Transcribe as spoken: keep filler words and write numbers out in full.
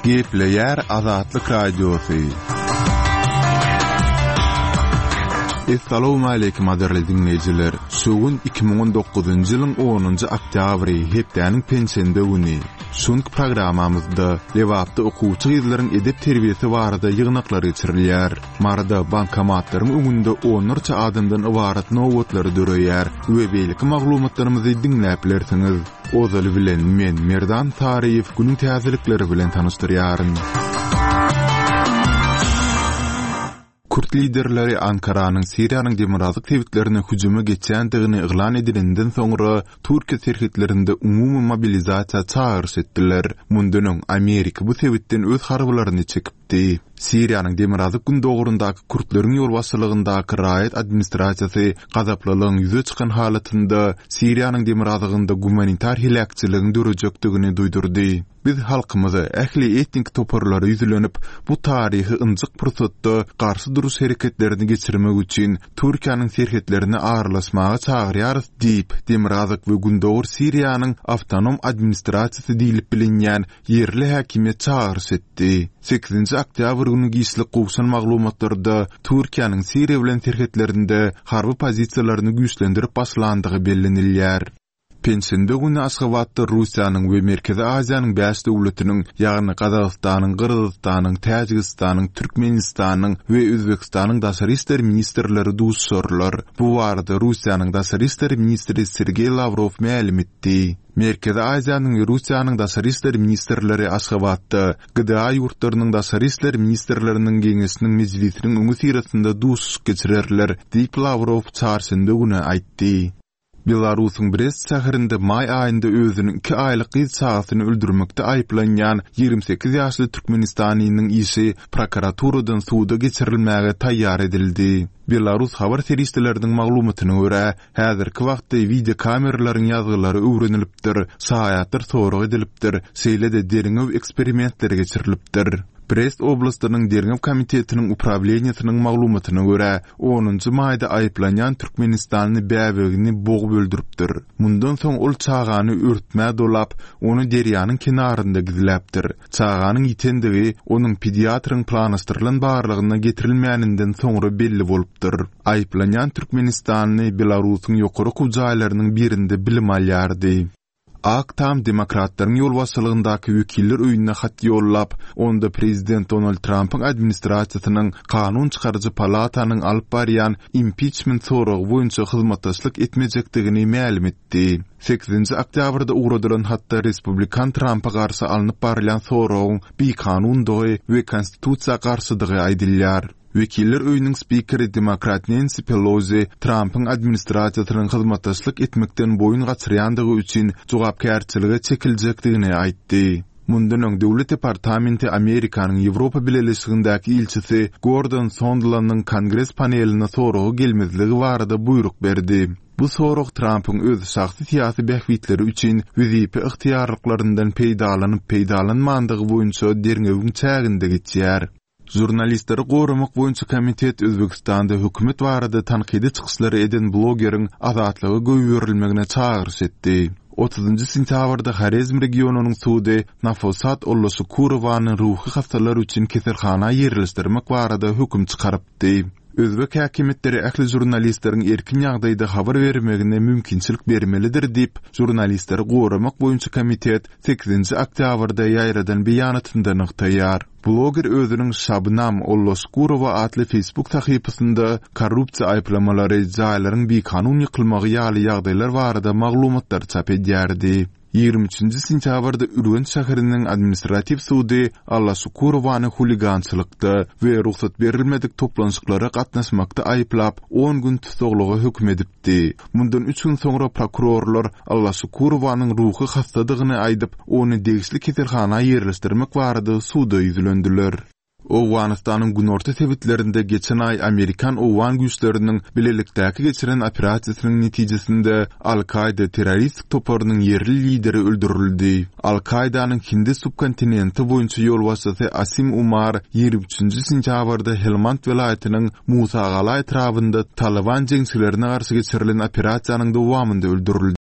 Gepleýär Azatlyk Radiosy. Essalawmaleýkim gadyrly diňleýjiler! Şu gün iki müň on dokuzynjy ýylyň onunjy oktýabry, hepdäniň penşenbe güni. Şu günki programmamyzda Lebapda okuwçy gyzlaryň edep-terbiýesi barada ýygnaklar geçirilýär. Maryda bankomatlaryň öňünde onlarça adamdan ybarat nobatlar döreýär we beýleki maglumatlarymyzy diňläp bilersiňiz. Ozaly bilen men, Merdan Saryýew, günüň täzelikleri bilen tanyşdyrýaryn. Kürt liderleri Ankaranyň Siriýanyň demirgazyk sebitlerine hüjüme geçýändigini yglan edilenden soňra Türkiýe serhetlerinde umumy mobilizasiýa çagyryş etdiler. Mundan öň Amerika bu sebitden öz harbylaryny çekipdi. Siriýanyň demirgazyk-gündogaryndaky kürtleriň ýolbaşçylygyndaky raýat administrasiýasy gazaplylygyň ýüze çykan halatynda Siriýanyň demirgazygynda gumanitar heläkçiligiň dörejekdigini duýdurdy. Biz halkymyza, ähli etnik toparlara ýüzlenip, bu taryhy ynjyk pursatda garşy duruş hereketlerini geçirmek üçin Türkiýäniň serhetlerine aralaşmaga çagyrýarys diýip, Demirgazyk we Gündogar Siriýanyň awtonom administrasiýasy diýlip bilinýän ýerli häkimiýet çagyryş etdi. Sekizinji oktýabr güni giçlik gowşan maglumatlarda Türkiýäniň Siriýa bilen serhetlerinde harby pozisiýalaryny güýçlendirip başlandygy bellenilýär. Penşenbe güni Aşgabatda Russiýanyň we Merkezi Aziýanyň bäş döwletiniň, ýagny Gazagystanyň, Gyrgyzystanyň, Täjigistanyň, Türkmenistanyň we Özbegistanyň daşary işler ministrleri duşuşarlar. Bu barada Russiýanyň daşary işler ministri Sergeý Lawrow mälim etdi. Merkezi Aziýanyň we Russiýanyň daşary işler ministrleri Aşgabatda G D A ýurtlarynyň daşary işler ministrleriniň geňeşiniň mejlisiniň öňüsyrasynda duşuşyk geçirerler, diýip Lawrow çarşenbe güni aýtdy. Belarusyň Brest şäherinde maý aýynda özüniň iki aýlyk gyz çagasyny öldürmekde aýyplanýan ýigrimi sekiz ýaşly türkmenistanynyň işi prokuraturadan suda geçirilmäge taýýar edildi. Belarus habar serişdeleriniň maglumatyna görä, häzirki wagtda wideokameralaryň ýazgylary öwrenilipdir, şaýatlar sorag edilipdir, şeýle-de derňew eksperimentleri geçirilipdir. Brest oblastynyň derňew komitetiniň uprawleniýesiniň maglumatyna görä, onunjy maýda aýyplanýan türkmenistanly bäbegini bogup öldüripdir. Mundan soň ol çagany örtmä dolap, ony derýanyň kenarynda gizläpdir. Çaganyň ýitendigi onuň pediatryň planlaşdyrylan barlygyna getirilmäninden soňra belli bolupdyr. Aýyplanýan türkmenistanly Belarusyň ýokary okuw jaýlarynyň birinde bilim alýardy. Ak Tam demokratlaryň ýolbaşçylygyndaky wekiller öýüne hat ýollap, onda prezident Donald Trumpyň administrasiýasynyň kanun çykaryjy palatanyň alyp barýan impiçment soragy boýunça hyzmatdaşlyk etmejekdigini mälim etdi. Sekizinji oktýabrda ugradylan hatda respublikan Trumpa garşy alnyp barylýan soragyň bikanundygy we konstitusiýa garşydygy aýdylýar. Wekiller öýüniň spikeri demokrat Nancy Pelosi Trumpyň administrasiýasynyň hyzmatdaşlyk etmekden boýun gaçyrýandygy üçin jogapkärçilige çekiljekdigini aýtdy. Mundan öň Döwlet departamenti Amerikanyň Ýewropa Bileleşigindäki ilçisi Gordon Sondlandyň kongres paneline soragy gelmezligi barada buýruk berdi. Bu sorag Trumpyň öz şahsy syýasy bähbitleri üçin wezipe ygtyýarlyklaryndan peýdalanyp peýdalanmandygy boýunça derňewiň çäginde geçýär. Žurnalistleri goramak boýunça komitet Özbegistanda hökümet barada tankydy çykyşlary eden blogeriň azatlyga goýberilmegine çagyryş etdi. Otuzynjy sentýabrda Horezm regionynyň sudy Nafosat Ollaşukurowany ruhy hastalar üçin keselhana ýerleşdirmek barada höküm çykarypdy. Özbek häkimiýetleri ähli žurnalistleriň erkin ýagdaýda habar bermegine mümkinçilik bermelidir diýip, žurnalistleri goramak boýunça komitet sekizinji oktýabrda ýaýradan beýanatynda nygtaýar. Bloger özüniň Şabnam Ollaşkurowa atly Facebook sahypasynda korrupsiýa aýyplamalary, jaýlaryň bikanun ýykylmagy ýaly ýagdaýlar barada maglumatlar çap edýärdi. Ýigrimi üçünji sentýabrda Ürgenç şäheriniň administratiw sudy Allaşukurowany huligançylykda we rugsat berilmedik toplanşyklara gatnaşmakda aýyplap, on gün tussaglyga höküm edipdi. Mundan üç gün soňra prokurorlar Allaşukurowanyň ruhy hassadygyny aýdyp, ony degişli keselhana ýerleşdirmek barada suda ýüzlendiler. Owganystanyň günorta sebitlerinde geçen aý Amerikan-Owgan güýçleriniň bilelikdäki geçiren operasiýasynyň netijesinde Al-Kaýda terroristik toparynyň ýerli lideri öldürildi. Al-Kaýdanyň Hindi subkontinenti boýunça ýolbaşçysy Asim Umar ýigrimi üçünji sentýabrda Helmand welaýatynyň Musagala etrabynda Taliban jeňçilerine garşy geçirilen operasiýanyň dowamynda öldürildi.